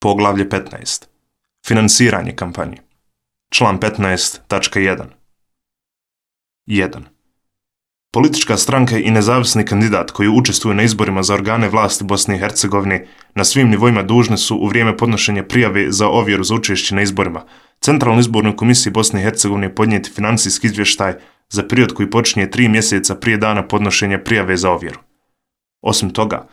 Poglavlje 15. Finansiranje kampanje. Član 15.1. 1. Politička stranka i nezavisni kandidat koji učestvuju na izborima za organe vlasti Bosne i Hercegovine na svim nivoima dužni su u vrijeme podnošenja prijave za ovjeru za učešće na izborima Centralnoj izbornoj komisiji Bosne i Hercegovine podnijeti financijski izvještaj za period koji počinje 3 mjeseca prije dana podnošenja prijave za ovjeru. Osim toga,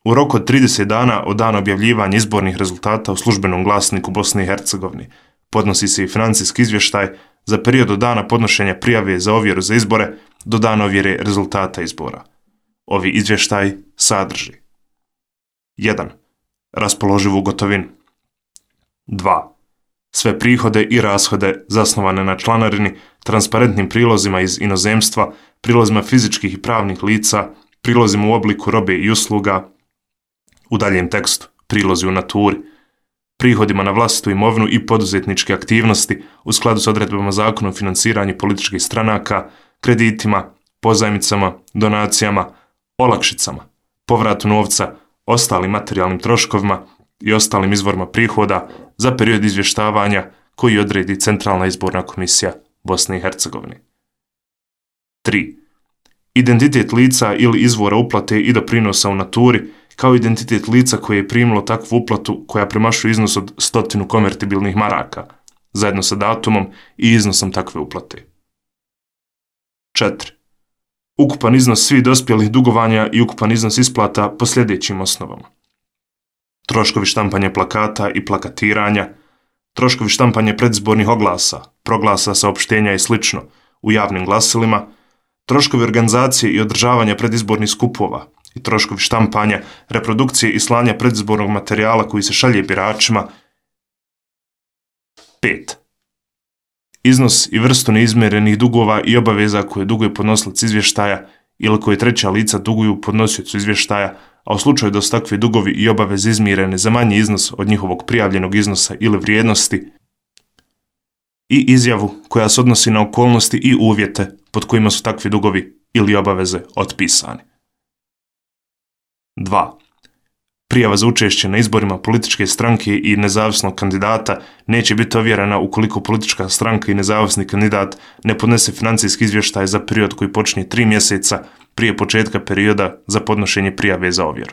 u roku od 30 dana od dana objavljivanja izbornih rezultata u službenom glasniku Bosne i Hercegovine podnosi se i financijski izvještaj za period od dana podnošenja prijave za ovjeru za izbore do dana ovjere rezultata izbora. Ovi izvještaj sadrži 1. Raspoloživu gotovinu. 2. Sve prihode i rashode zasnovane na članarini, transparentnim prilozima iz inozemstva, prilozima fizičkih i pravnih lica, prilozima u obliku robe i usluga, u daljem tekstu prilozi u naturi, prihodima na vlastitu imovinu i poduzetničke aktivnosti u skladu s odredbama Zakona o financiranju političkih stranaka, kreditima, pozajmicama, donacijama, olakšicama, povratu novca, ostalim materijalnim troškovima i ostalim izvorima prihoda za period izvještavanja koji odredi Centralna izborna komisija Bosne i Hercegovine. 3. Identitet lica ili izvora uplate i doprinosa u naturi, kao identitet lica koje je primilo takvu uplatu koja premašuje iznos od 100 konvertibilnih maraka, zajedno sa datumom i iznosom takve uplate. 4. Ukupan iznos svih dospjelih dugovanja i ukupan iznos isplata po sljedećim osnovama. Troškovi štampanja plakata i plakatiranja, troškovi štampanja predizbornih oglasa, proglasa, saopštenja i sl. U javnim glasilima, troškovi organizacije i održavanja predizbornih skupova i troškovi štampanja, reprodukcije i slanja predizbornog materijala koji se šalje biračima. 5. Iznos i vrstu neizmjerenih dugova i obaveza koje duguje podnosilac izvještaja ili koje treća lica duguju podnosiocu izvještaja, a u slučaju da su takvi dugovi i obaveze izmirene za manji iznos od njihovog prijavljenog iznosa ili vrijednosti, i izjavu koja se odnosi na okolnosti i uvjete pod kojima su takvi dugovi ili obaveze otpisani. 2. Prijava za učešće na izborima političke stranke i nezavisnog kandidata neće biti ovjerena ukoliko politička stranka i nezavisni kandidat ne podnese financijski izvještaj za period koji počinje 3 mjeseca prije početka perioda za podnošenje prijave za ovjeru.